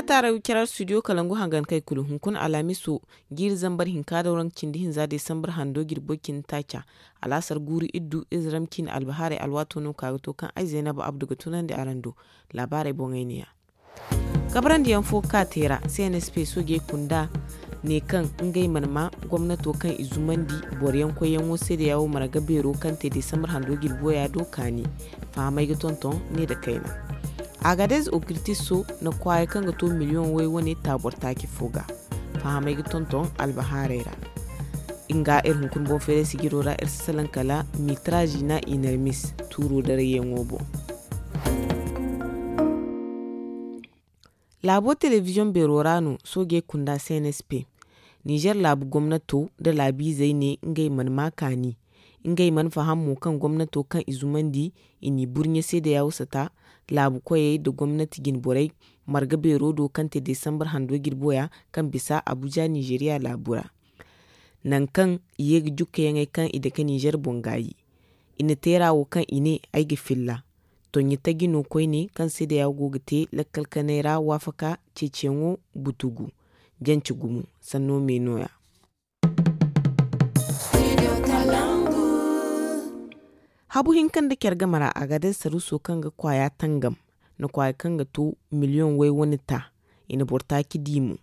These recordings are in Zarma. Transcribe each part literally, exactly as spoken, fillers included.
Taaray carar studio kalangu hangan kay kulu hunkuna alhamiso jiiri zambar hinka da waranka cindi hinza desambar hando jirbo cindi taaca. Alaasar guuru iddu izram ciine albahaarey alwaato no ka ga to kaŋ ay zaynaba abdu ga tunandi araŋ do. Laabaarey boŋey ne ya. Kabrandi yaŋ fo ka te ra cnsp soojey kunda ne kaŋ ngey mana ma gomnato kaŋ i zumandi boro yaŋ koy yaŋo se da yawo marga beero kaŋ te desambar hando jirbo ya do kaani. Fahamey ga tonton ne da kayna. Agadez okirtiso na kwaaya kaŋ ga to miliyoŋ way wane taabor taaci fo ga. Fahamey ga tonton albahaarey ra. Nga iri hunkuna boŋ feeray sijiro ra iri si salaŋ kala mitrajina inermis tuuro darayyaŋo boŋ. Laabo telebiziyoŋ beero ra no soojey kunda cnsp. Nizer laabu gomnato da laabiizey ne ngey mana ma kaani. Ngey mana faham mo kaŋ gomnato kaŋ i zumandi i n'i burɲe se da yaawusata laabu koyey nda gomnati jinborey marga beero do kaŋ te desambar hando jirbo ya kaŋ bisa abuja nizeriya laabu ra. Nangu kaŋ i ye ga jukkayaŋey kaŋ i dake nizer boŋ gaayi. I na teera wo kaŋ i ne ay ga filla. Tonɲa taji no koyne kaŋ se da yawo go ga te lakkal kanay ra waafaka ceeciyaŋo butugu jance gumo sanno me no- ya. Habu hinka nda care game ra a ga day saruuso kaŋ ga kwaaya tangam na kwaaya kaŋ ga to miliyoŋ way wane ta. I na boro taaci di mo.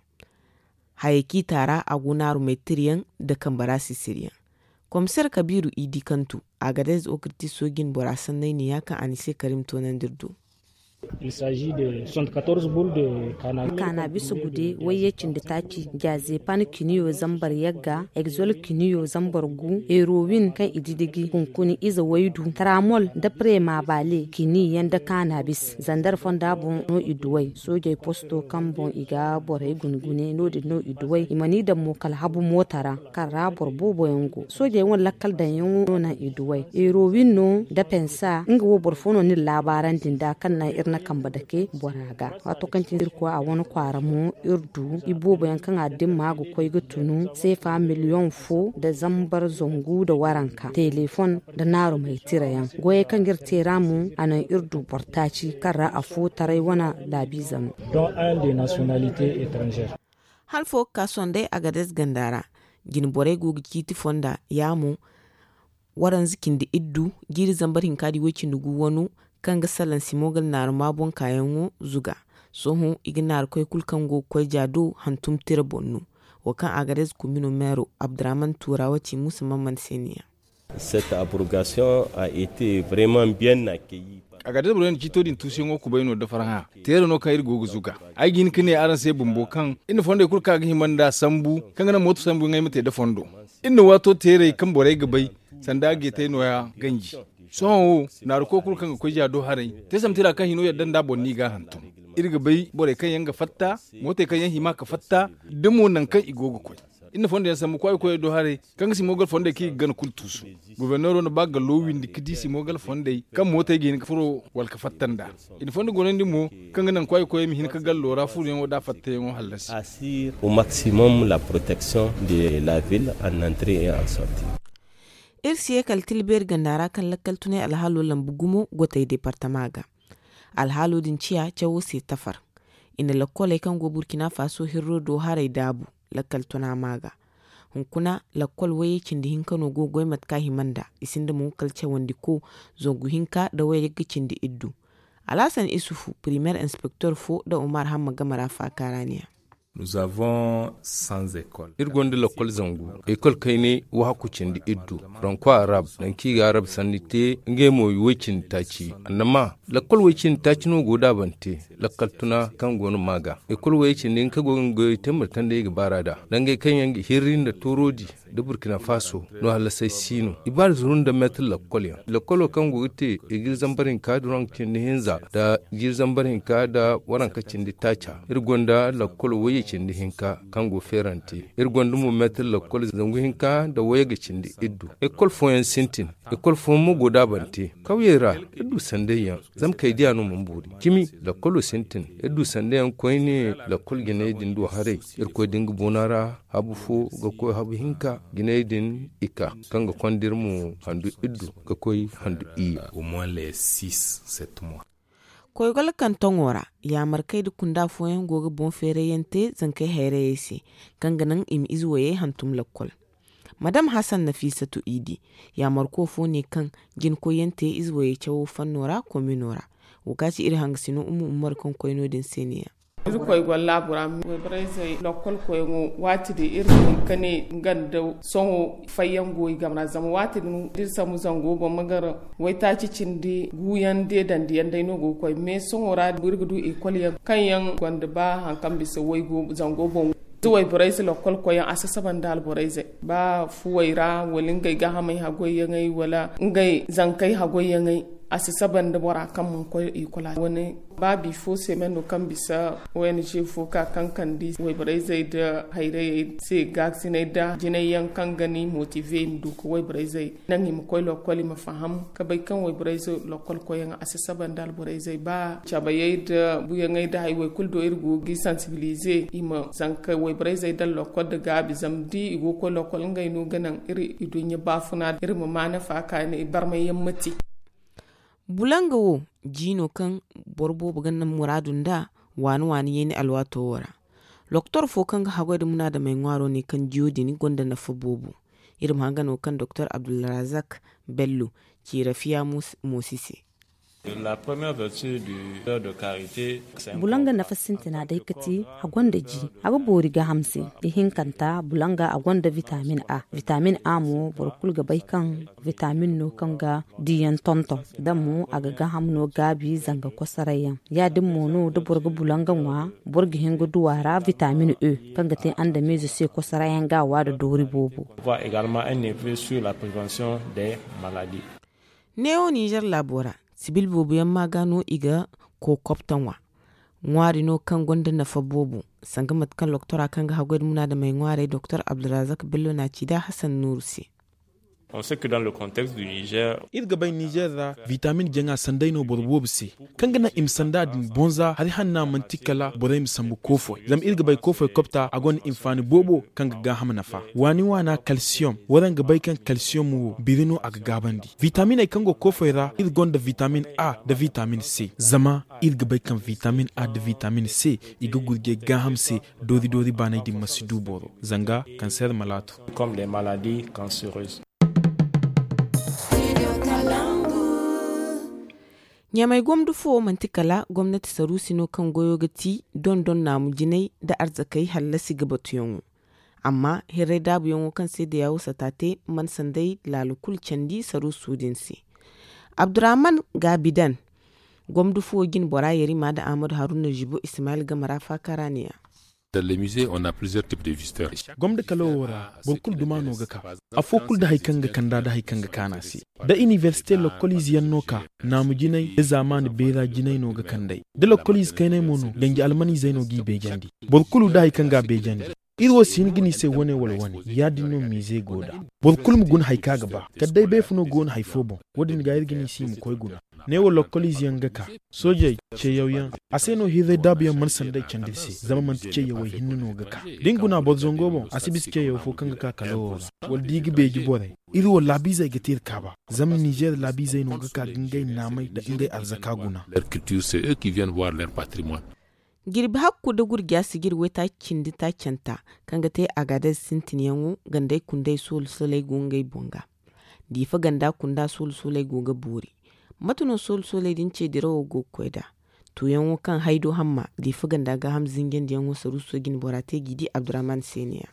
Hayey kaŋ i taara a go naaru maytiriyaŋ nda kambara sisiriyaŋ. Komiseer kabiiru i di kaŋ tu a ga day okirtiso jine bora sanney ne ya kaŋ a ni se karim toonandi iri do. Kaana bisa gude wayye cindi taaci jaaze pan kiniyo zambar yagga egzol kiniyo zambar gu herowin kaŋ i didigi kunkuni ize waydu taramol nda prema bale kini yaŋ nda kaana bis zandar fonda boŋ no i duway soojey posto kaŋ boŋ i ga borey gungune no- din no i duway i mana i daŋ mo kala habu moota ra kaŋ ra boro boobo yaŋ go soojey wane lakkal daŋyaŋo no naŋ i duway herowin no nda pensa nga wo boro fo no n'iri laabaarandi nd'a kaŋ naŋ iri na kambe dake bora ga. Waato kaŋ cine irkoy a wane kwaara mo iri du iboobo yaŋ kaŋ a dimma ga koy ga tunu seefa miliyoŋ fo nda zambar zangu nda waranka teleefon nda naarumey tira yaŋ goyey kaŋ ga iri te ra mo a naŋ iri du boro taaci kaŋ ra afo taray wane laabiize no. Han fo ga ka sondey agadez ganda ra jine borey go ga ciiti fonda ya mo waranza cindi iddu jiiri zambar hinka da iway cindi gu wano kaŋ ga salaŋ simogal naaruma boŋ kaayaŋo zuga. Sohõ i ga naaru koy kulu kaŋ go ga koy ja do hantum tira boŋ no. Wo kaŋ agadez kumino meero abdurrahman tuurawa ci muusa mamman se ne ya. Cette abrogation a été vraiment bien accueillie. Agadez boro yaŋ na ciito din tuusuyaŋo kubay no da farhã teera no kaŋ iri go ga zuga. Ay ga hin ga ne araŋ se bumbo kaŋ iri na fondey kulu kaŋ a ga hima nd'a sambu kaŋ ga naŋ mooto sambu yaŋ ay ma te da fondo. Iri na waato teerey kaŋ borey ga bay sanda a ga i te nooya ganji. Sohõ wo naaruko kulu kaŋ ga koy ja do haray te samtira kaŋ hino yadda nd'a boŋ no i g'a hantum. Iri ga bay borey kaŋ yaŋ ga fatta mootey kaŋ yaŋ hima ka fatta da mo nangu kaŋ i go ga koy. Iri na fondo yaŋ sambu kwaay koyey do haray kaŋ ga simogal fondey kaŋ i ga gana kulu tuusu. Goforneero na ba gallo windi ga di simogal fondey kaŋ mootey ga hin ga furo wala ga fatta nd'a. I na fondo gonandi mo kaŋ ga naŋ kwaay koyey ma hin ga gallo ra furoyaŋo da fattayaŋo hallasi. Au maximum la protection de la ville en entrée et en sortie. Iri si ye kala tilbeeri ganda ra kaŋ lakkal tunay alhaalo lambu gumo gotey departama ga. Alhaalo din ciya cawo se tafar. I na lakkoley kaŋ go burkina faso hirro do haray daabu lakkal tuna ma ga. Hunkuna lakkol wayye cindi hinka no go ga goy mate kaŋ a hima nd'a i sinda mo kala cawandiko zangu hinka nda wayye ga cindi iddu. Alhasan isufu primeer inspektor fo nda umar hamma game ra faaka ra ne ya. Iri gonda lakkol zangu ekol kayne wahakku cindi iddu. Ranko arab nangu kaŋ i ga arab sanni te ngey mo i way cindi taaci annama lakkol way cindi taaci no go daabante. Lakkal tuna kaŋ go no ma ga ekol way cindi hinka go ga nga goyey te mate kaŋ day i ga baar'a nd'a dangey kaŋ yaŋ ga hirri nda tooroodi nda burkina faso no hallasay si no i baari zuru nda meetir lakkol yaŋ lakkolo kaŋ go ga te i ga iri zambar hinka duranka cindi hinza nda jiiri zambar hinka nda waranka cindi taaca. Iri gonda lakkol wayye cindi hinka kaŋ go feerante. Iri gonda mo meetir lakkol zangu hinka nda wayye ga cindi iddu. Ekol fooyaŋ sintin. Ekol fooyaŋ mo go daabante kawyey ra. Iri du sanday yaŋ zama kay diya no mana boori cimi. Lakkolo sintin iri du sanday yaŋ koyne. Lakkol jinay din du haray. Irkoy din ga boona ra habu fo ga koy habu hinka jinay din i ka kaŋ ga konda iri mo handu iddu ga koy handu iyye. Au moins les six sept mois. Koy golakantaŋo ra, yaamarkey nda kunda fooyaŋ go ga boŋ feerayyaŋ te zankey hayrayey se, kaŋ ga naŋ i ma ize wayey hantum lakkol. Madam hasan nafiisatu idi, yaamarko fo ne kaŋ jina koyyaŋ te ize wayey cawo fanno ra komino ra. Wo ga ci iri hangasino umu ummar kaŋ koy no- din se ne- ya. Iri koy golla bora, wayborey zey lokkol koyaŋo, waati din iri ne ka ne nga nda sohõ fayyaŋ go i game ra zama waati din da iri sambu zango boŋ ma gar waytaaci cindi guuyaŋ deedandi yaŋ day no go ga koy mais sohõ ra iri ga du ekol yaŋ kaŋ yaŋ gonda ba hari kaŋ bisa waygu zango boŋ. Da wayborey se lokkol koyyaŋ a si saba nda alborey zey ba fuwey ra wala ngey gaahamey hagoyyaŋey wala ngey zankey hagoyyaŋey, a si saba nda bora kaŋ mana koy ekol a wane. Ba bifo se me no kaŋ bisa ong fo ka kankandi wayborey zey nda hayrayey se gaasiney nda jinay yaŋ kaŋ ga ni motive i ma du ka wayborey zey naŋ i ma koy lokkol i ma faham ka bay kaŋ wayborey zey lokkol koyyaŋ a si saba nda alborey zey ba cabayey nda buyaŋey nda hari way kulu do iri go ga i sansibilize i ma zanka wayborey zey daŋ lokkol nda gaabi zama da i go ga koy lokkol ngey no ga naŋ iri iduɲɲa baafuna iri ma ma nafa ka ne barmay yaŋ ma te. Bulanga wo, ji no kaŋ boro boobo ga naŋ muraadu nda waani waani yeeni alwaato wo ra. Loktor fo kaŋ ga haggoy nda munaadamey ŋwaaro ne kaŋ jiyo din gonda nafa boobo. Iri ma hanga no kaŋ doktor abdulrazak bello ci rafiya moosi se. Bulanga nafa sintina day ka ti a gonda ji a ga boori gaaham se. Ihinkanta bulanga a gonda vitamin a. Vitamin a mo boro kulu ga bay kaŋ vitamin no kaŋ ga diyaŋ tonton da mo a ga gaaham no gaabi zanga kosoray yaŋ. Ya- din mo no da boro ga bulanga ŋwa boro ga hin ga du a ra vitamin e kaŋ ga te andamiize se kosoray yaŋ ga a wa nda doori boobo. Neewo ninzeer laabo ra sibil boobo yaŋ ma ga no i ga kookobta ŋwa. Ŋwaari no kaŋ gonda nafa boobo sanga mate kaŋ loktora kaŋ ga haggoy nda munaadamey ŋwaarey doktor abdulrazak bello na a ci nda hasan nuuru se. Iri ga bay ninzeer ra vitamin jaŋa sanday no boro boobo se kaŋ ga naŋ i ma sanda din bonza hari hanna manti kala borey ma sambu koofoy zama iri ga bay koofoy kobta a gonda hinfaani boobo kaŋ ga gaaham nafa waani waana kalsiyom waraŋ ga bay kaŋ kalsiyom wo biri no a ga gaabandi vitaminey kaŋ go koofoy ra iri gonda vitamin a nda vitamin c zama iri ga bay kaŋ vitamin a nda vitamin c i ga gurjey gaaham se doori doori baanay din ma si du boro zanga kanseer malaatu. Ɲamey gomdo fo manti kala gomnati saruusi no kaŋ goyo ga ti dondon naamu jinay nda arzakey hallasi ga batuyaŋo. Amma hirray daabuyaŋo kaŋ se dayawo sata te mana sanday laalo kulu candi saruuso din se. Abdurrahman gaabidan gomdo fo jine bora yarima nda ahmadu haruna zibo ismail game ra faaka ra ne- ya. Gomda kalo wo ra boro kulu duma no ga ka. Afo kulu da hari kaŋ ga kanda da hari kaŋ ga kaanu a se. Da inibersite lokkoliize yaŋ no ka naamu jinay da zaamaani beera jinay no ga kand'ey da lokkoliize kayney mo no ganji almaniizey no g'i beejandi. Boro kulu da hari kaŋ ga a beejandi. Iri wo si hin ga ni se wane wala wane ya- din no miize go nd'a. Boro kulu ma guna hari kaŋ a ga ba kala day beefuno go no hari fo boŋ. Wo- din ga iri ga ni se i ma koy guna. Neewo lokkoliize yaŋ ga ka soojey ceeyaw yaŋ. A se no hirray daabu yaŋ mana sanday candi iri se zama manti ceeyawey hinne no ga ka. Da ni guna boro zango boŋ a si bisa ceeyaw fo kaŋ ga ka kala wo ra wala da i ga beeji borey. Iri wo laabiizey ga te iri kaaba zama ninzeer laabiizey no ga ka ga ngey naamey nda ngey arzaka guna. Jirbi hakku nda gurja sijir waytaaci cindi taacanta kaŋ ga te agaadez sintinyaŋo gandey kundey soolu sooley go ngey boŋ ga. Diifa ganda kunda soolu sooley go ga boori. Mate no soolu sooley din ce dirawo go ga koy nd'a? Tuuyaŋo kaŋ haydo hamma diifa ganda gaaham zinjandiyaŋo saruuso jine bora te g'i di abdurrahman se ne- ya.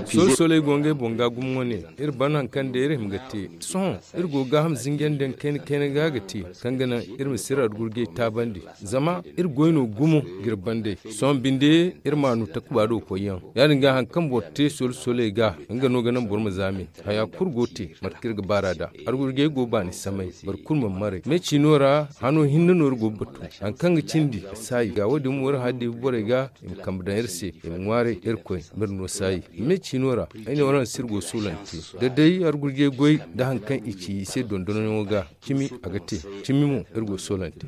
Soolu sooley go ngey boŋ ga gumo wane. Iri ban hari kaŋ day iri hima ga te sohõ iri go gaaham zinjandiyaŋ kayna kayna ga ga te kaŋ ga naŋ iri ma si iri argurjey taabandi. Zama iri goy no gumo ga iri bandey. Sohõ binde iri maanu takuba do koyyaŋ ya- din ga hari kaŋ boro te soolu sooley ga nga no ga naŋ boro ma zaame. Haya kulu go te mate kaŋ iri ga baar'a nd'a. Argurjey go baani samay. Boro kulu mana maray me ciino ra hano hinne no iri go ga batu. Hari kaŋ ga cindi saayi ga wo- din mo iri hã diibi borey ga i ma kambe daŋ iri se i ma ŋwaaray irkoy ma iri no saayi. Me ciino ra ay ne waraŋ se iri go soolante da day argurjey goy nda hari kaŋ i ci i se dondonyaŋo ga. Cimi a ga te. Cimi mo iri go soolante.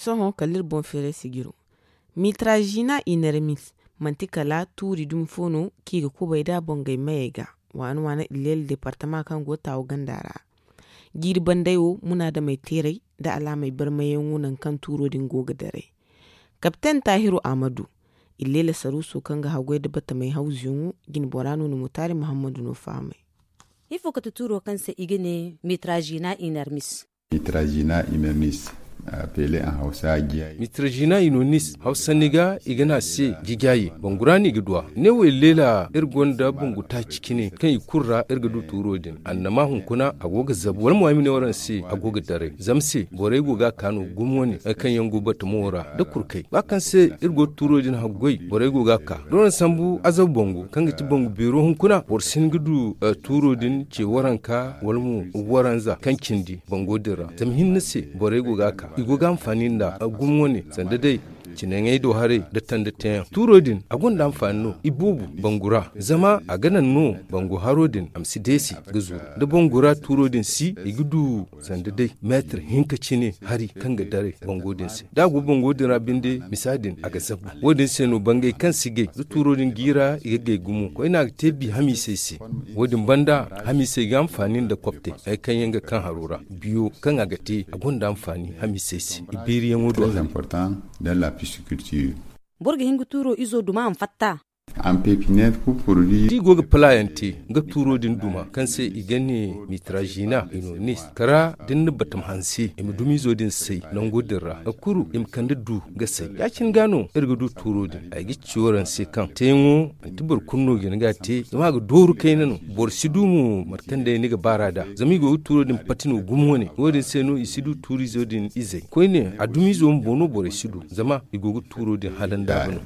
Sohõ kala iri boŋ feeray sijiro. Mitrajina inermis manti kala tuuri dumi fo no kaŋ i ga kubay nd'a bongey mayey ga waana waana illeela deepartama kaŋ go taawu ganda ra. Jiiri bandey wo munaadamey teeray nda alaamey barmayyaŋo nangu kaŋ tuuro din go ga daray. Kapten taahiru amadu, illeela saruuso kaŋ ga haggoy nda batamey hawzuyaŋo, jinbora no na mutaari muhammadu no fahamay. Ifo kate tuuro kaŋ se i ga ne mitrajina inermis? Mitrajina inermis, a pele en hausa giyayi. Mitrajina inermis hausa ni ga i ga ne a se giyayi bangura no i ga du a ne wo illeela iri gonda bangu taaci cine kaŋ i kulu ra iri ga du tuuro din annama hunkuna a go ga zabu wala mo ay ma ne waraŋ se a go ga daray zama se borey go ga a ka no gumo wane hari kaŋ yaŋ go batamo ra nda kurkay ba kaŋ se iri go ga tuuro din haggoy borey go ga a ka da waraŋ sambu azabu bangu kaŋ ga ti bangu beero hunkuna boro si hin ga du tuuro din ce waranka wala mo waranza kaŋ cindi bango din ra zama hinne se borey go ga a ka i go ga hanfaani nda gumo wane sanda day cinaŋey do haray nda tanda teeyaŋ tuuro din a gonda hanfaani no i boobo bangu ra zama a ga naŋ no bangu haro din a ma si deesi ga zuru da bangu ra tuuro din si i ga du sanda day meetir hinka cine hari kaŋ ga daray bango din se da a go bango din ra binde misa din a ga zabu wo- din se no bangey kaŋ si gay da tuuro din jiira i ga gay gumo koyne a ga te bi hamiisey se wo- din banda hamiisey ga hanfaani nda koptey hari kaŋ yaŋ ga kaŋ haro ra biyo kaŋ a ga te a gonda hanfaani hamiisey se i beeriyaŋo do haray. Boro ga hin ga tuuro izo duma a ma fatta. Da i go ga pala yaŋ te nga tuuro din duma kaŋ se i ga ne mitrajina inonis kara da ni na batam hanse i ma dumizo din say nango din ra nga kulu i ma kande du ga say ya- cine ga no iri ga du tuuro din ay ga ci waraŋ se kaŋ teeyaŋo manti boro kulu no ga hin ga a te zama a ga dooru kayna no boro si du mo mate kaŋ day ni ga baar'a nd'a zama i go ga tuuro din pati no gumo wane wo- din se no i si du tuurizo din izey koyne a dumizo bumbo no borey si du zama i go ga tuuro din hala nda a ga no.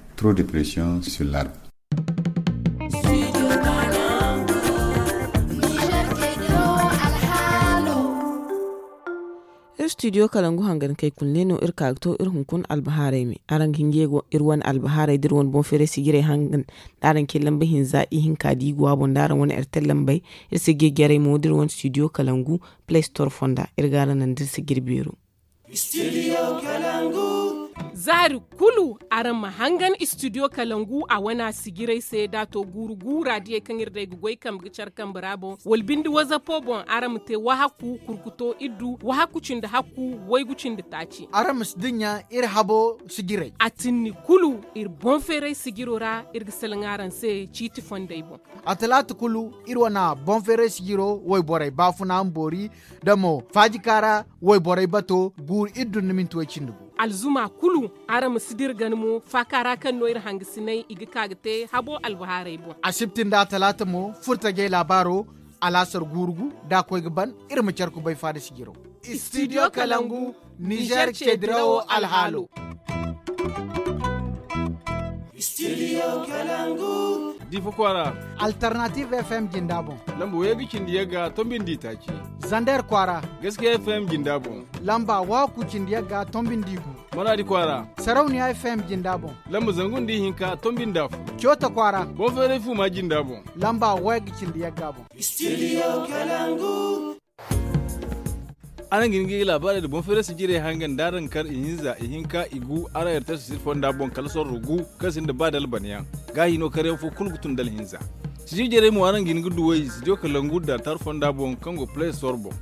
Iri studio kalangu hangan kay kulu ne no iri ka ga to iri hunkuna albahaarey me araŋ ga hin ga ye go iri wane albahaarey da iri wane boŋ feeray sijirey hangan da araŋ ce lamba hinza ihinka da i go a boŋ da araŋ wane ertel lambey iri sijir jarey mo da iri wane studio kalangu play store fonda iri ga araŋ naŋ da iri sijir beero. Zaari kulu araŋ ma hangan studio kalangu a wana sijirey se da a to guuru guura diyey kaŋ iri day ga goy kambe ga care kambe ra boŋ wala binde wazapo boŋ araŋ ma te wahakku kurkuto iddu wahakku cindi hakku waygu cindi taaci. Araŋ ma si dinya iri habo sijirey a tinni kulu iri boŋ feeray sijiro ra iri ga salaŋ araŋ se ciiti fondey boŋ. A talaata kulu iri wane boŋ feeray sijiro wayborey baafuna ma boori da mo faajika ra wayborey bato guuru iddu nda minti way cindi gu. Alzuma kulu araŋ ma si dira gana mo faaka ra kaŋ no iri hangasiney i ga ka ga te habo albahaarey boŋ. Asibti nda a talaata mo furtajey laabaaro alaasar guuru gu da a koy ga ban iri ma care kubay faada sijiro. Studio kalangu nizer ce dirawo alhaalo. Studio kalangu. Difa kwaara. Alternative fm jinda boŋ. Lamba waygu cindi yagga tombindi taaci. Zander kwaara. Gaskiya fm jinda boŋ. Lamba waku cindi yagga tombindi gu. Maradi kwaara. Sarauniya fm jinda boŋ. Lamba zangu nda ihinka tombindi afo. Coota kwaara. Boŋ feeray fuma jinda boŋ. Lamba waygu cindi yagga boŋ. Studio kalangu. Araŋ ga hin ga laabaarey nda boŋ feeray sijirey hangan da araŋ kar ihinza ihinka igu araŋ ertel sijir fonda boŋ kala sorro gu kaŋ sinda ba dalbanyaŋ. Gaahi no karyaŋ fo kulu ga tun da alhinza. Sijir jarey mo araŋ ga hin ga duw'ey sijir kalangu da tar fonda boŋ kaŋ go play store boŋ.